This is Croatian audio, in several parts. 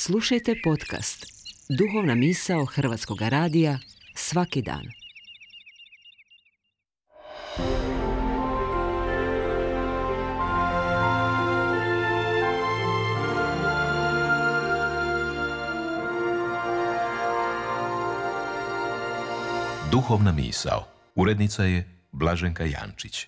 Slušajte podcast Duhovna misao Hrvatskog radija svaki dan. Duhovna misao. Urednica je Blaženka Jančić.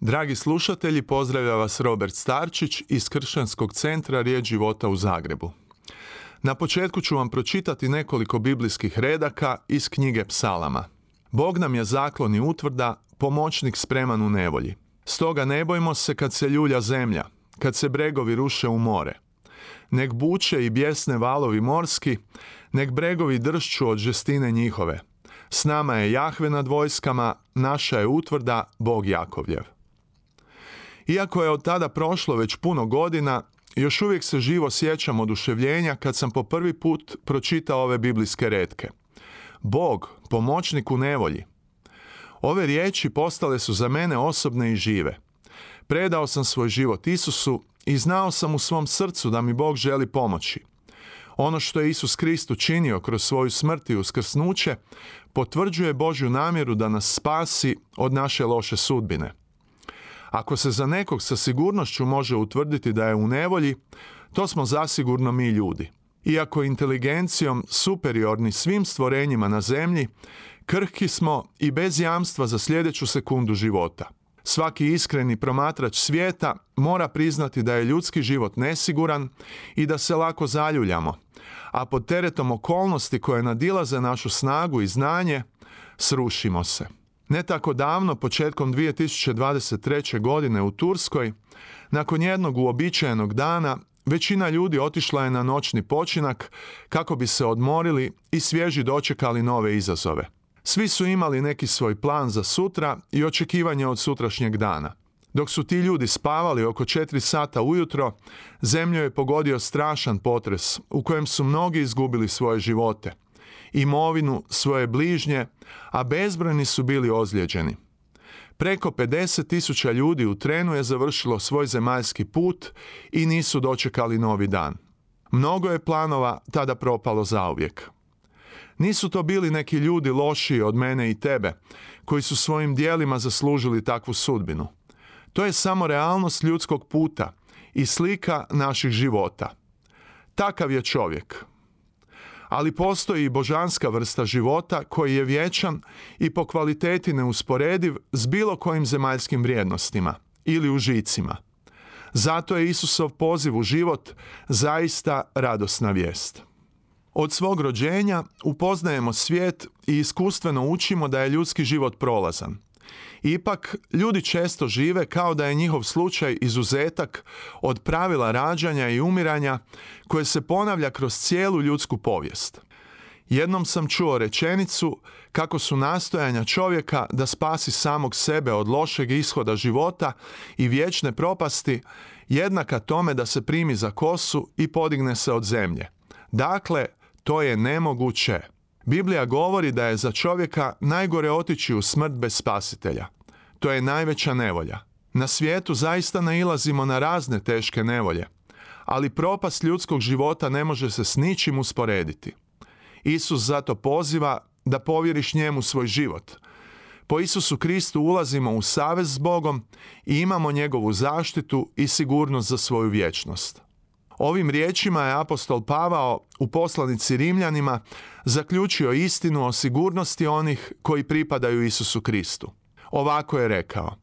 Dragi slušatelji, pozdravlja vas Robert Starčić iz Kršćanskog centra Riječ života u Zagrebu. Na početku ću vam pročitati nekoliko biblijskih redaka iz knjige Psalama. Bog nam je zaklon i utvrda, pomoćnik spreman u nevolji. Stoga ne bojmo se kad se ljulja zemlja, kad se bregovi ruše u more. Nek buče i bjesne valovi morski, nek bregovi dršću od žestine njihove. S nama je Jahve nad vojskama, naša je utvrda, Bog Jakovljev. Iako je od tada prošlo već puno godina, još uvijek se živo sjećam oduševljenja kad sam po prvi put pročitao ove biblijske retke. Bog, pomoćnik u nevolji. Ove riječi postale su za mene osobne i žive. Predao sam svoj život Isusu i znao sam u svom srcu da mi Bog želi pomoći. Ono što je Isus Krist učinio kroz svoju smrt i uskrsnuće potvrđuje Božju namjeru da nas spasi od naše loše sudbine. Ako se za nekog sa sigurnošću može utvrditi da je u nevolji, to smo zasigurno mi ljudi. Iako inteligencijom superiorni svim stvorenjima na zemlji, krhki smo i bez jamstva za sljedeću sekundu života. Svaki iskreni promatrač svijeta mora priznati da je ljudski život nesiguran i da se lako zaljuljamo, a pod teretom okolnosti koje nadilaze našu snagu i znanje, srušimo se. Ne tako davno, početkom 2023. godine u Turskoj, nakon jednog uobičajenog dana, većina ljudi otišla je na noćni počinak kako bi se odmorili i svježi dočekali nove izazove. Svi su imali neki svoj plan za sutra i očekivanje od sutrašnjeg dana. Dok su ti ljudi spavali oko 4 sata ujutro, zemlju je pogodio strašan potres u kojem su mnogi izgubili svoje živote, imovinu, svoje bližnje, a bezbrojni su bili ozlijeđeni. Preko 50.000 ljudi u trenu je završilo svoj zemaljski put i nisu dočekali novi dan. Mnogo je planova tada propalo zauvijek. Nisu to bili neki ljudi lošiji od mene i tebe, koji su svojim djelima zaslužili takvu sudbinu. To je samo realnost ljudskog puta i slika naših života. Takav je čovjek. Ali postoji i božanska vrsta života koji je vječan i po kvaliteti neusporediv s bilo kojim zemaljskim vrijednostima ili užicima. Zato je Isusov poziv u život zaista radosna vijest. Od svog rođenja upoznajemo svijet i iskustveno učimo da je ljudski život prolazan. Ipak, ljudi često žive kao da je njihov slučaj izuzetak od pravila rađanja i umiranja koje se ponavlja kroz cijelu ljudsku povijest. Jednom sam čuo rečenicu kako su nastojanja čovjeka da spasi samog sebe od lošeg ishoda života i vječne propasti jednaka tome da se primi za kosu i podigne se od zemlje. Dakle, to je nemoguće. Biblija govori da je za čovjeka najgore otići u smrt bez spasitelja. To je najveća nevolja. Na svijetu zaista nailazimo na razne teške nevolje, ali propast ljudskog života ne može se s ničim usporediti. Isus zato poziva da povjeriš njemu svoj život. Po Isusu Kristu ulazimo u savez s Bogom i imamo njegovu zaštitu i sigurnost za svoju vječnost. Ovim riječima je apostol Pavao u poslanici Rimljanima zaključio istinu o sigurnosti onih koji pripadaju Isusu Kristu. Ovako je rekao: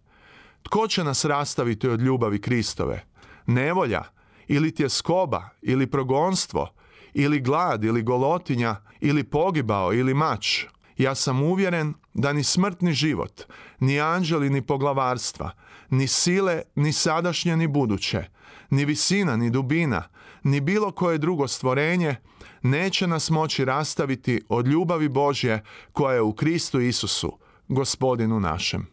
tko će nas rastaviti od ljubavi Kristove? Nevolja, ili tjeskoba, ili progonstvo, ili glad, ili golotinja, ili pogibao, ili mač. Ja sam uvjeren da ni smrt ni život, ni anđeli ni poglavarstva, ni sile, ni sadašnje ni buduće, ni visina ni dubina, ni bilo koje drugo stvorenje neće nas moći rastaviti od ljubavi Božje koja je u Kristu Isusu, Gospodinu našem.